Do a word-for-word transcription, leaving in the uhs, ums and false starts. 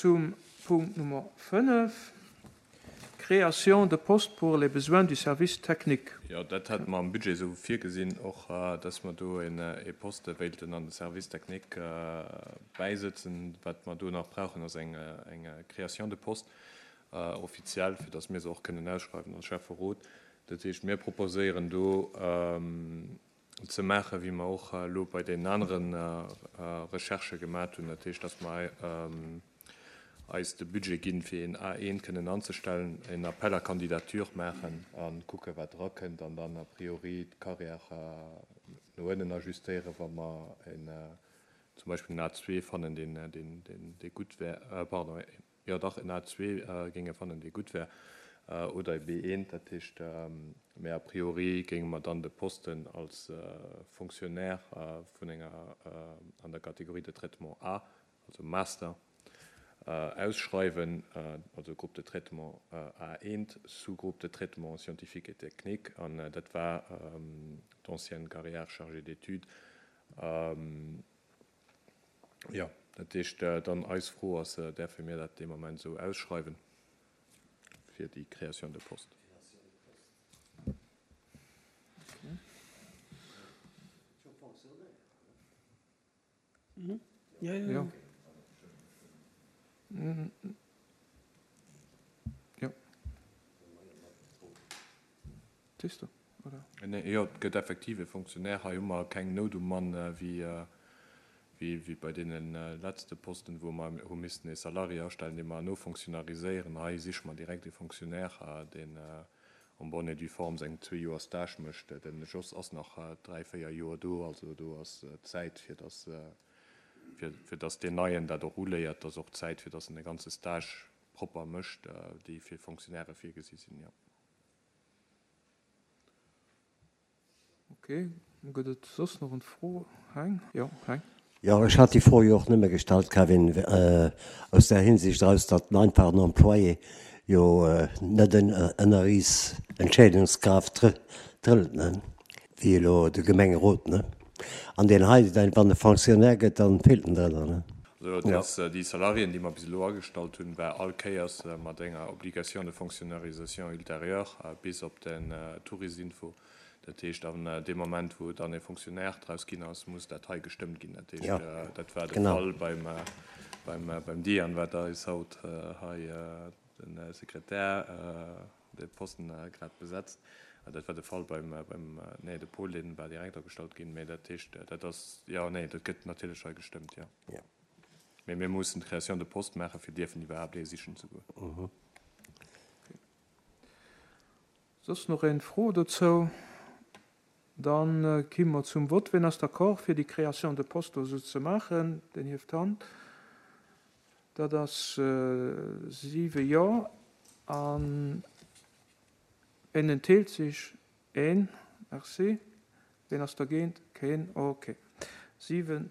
zum Punkt Nummer fënnef, Création de postes pour les besoins du service technique. Jo, dat hate mer am Budget esou virgesinn och, dass mer do ee Poste wéilten an de Service technique bäisëtzen. Wat mer do nach brauchen, ass eng Création de poste offiziell, fir dass mir se och kënnen ausschreiwen als Schäfferot. Dat heescht, mir proposéieren do ze maachen, wéi mer och elo bei deenen anere Recherchë gemat hunn, dat heescht, dass mer eis de Budget ginn, fir een A eent kënnen anzestellen, een Appel à candidature maachen a kucken, wat erakënnt, an dann a priori d'Carrière no ënnen ajustéieren, wa mer een, zum Beispill en A zwee fannen, deen, deen, deen, dee gutt wär, pardon, jo dach, en A zwee géinge fannen, dee gutt wär, oder e B eent. Dat heescht, mä a priori géinge mer dann de Posten als Fonctionnaire vun enger, an der Catégorie de traitement A, also Master, ausschreiwen, also Groupe de traitement A eent, Sous-groupe de traitement scientifique et technique, an dat war d'ancienne Carrière chargée d'études. Jo, dat heescht dann eis Fro ass, däerfe mir dat dee Moment esou ausschreiwen fir déi Création de poste? Jo. Jo. Siehst du, oder? Nee, jo, et gëtt effektiv e Fonctionnaire. Hei hu mer keng Nout um Mann wéi, wéi bei deene letzte Posten, wou mer hu missten e Salarié astellen, dee mer nofonctionnariséieren. Hei siche mer direkt e Fonctionnaire, deen en bonne et due forme seng zwee Joer Stage mécht. Den Jos ass nach dräi, véier Joer do, also do ass Zäit, fir dass, fir, fir dass deen Neien dat och uléiert. Et ass och Zäit, fir dass en de ganze Stage propper mécht, déi fir Fonctionnairë virgesi sinn, jo. Ok, gëtt et soss nach eng Fro? Heng? Jo, Heng. Jo, ech hat déi Fro jo och nëmme gestallt, Kevin, aus där Hinsicht eraus, datt den einfachen Employé jo net ënner is Entscheedungskraaft trëllt, ne, wéi elo de Gemengerot, ne. An deen hei, wann e Fonctionnaire gëtt, dann feelt en drënner, ne. Also et ass déi Salariéen, déi mer bis elo agestallt hunn, war all Kéiers mat enger Obligation de fonctionnarisation ultérieure bis op den Tourisinfo. Dat heescht, an deem Moment, wou dann e Fonctionnaire draus ginn ass, muss dat hei gestëmmt ginn. Dat heescht, dat war de Fall beim, beim, beim Diane, wat eis haut hei de Sekretär de Posten grad besetzt. Dat war de Fall beim, beim, nee, de Paul, dee war direkt agestallt ginn. Mä dat heescht, dat ass, jo, nee, dat gëtt natierlech hei gestëmmt, jo. Mä mir mussen d'Création de poste maachen, fir dierfen iwwerhaapt ee sichen ze goen. Soss nach eng Fro dozou? Dann ki mer zum Vott. Wien ass d'accord, fir déi Création de poste esou ze maachen? Deen hieft d'Hand. Dat ass siwe Jo. An wien enthält sech? Een. Merci. Wien ass dergéint? Keen. Ok. Siwen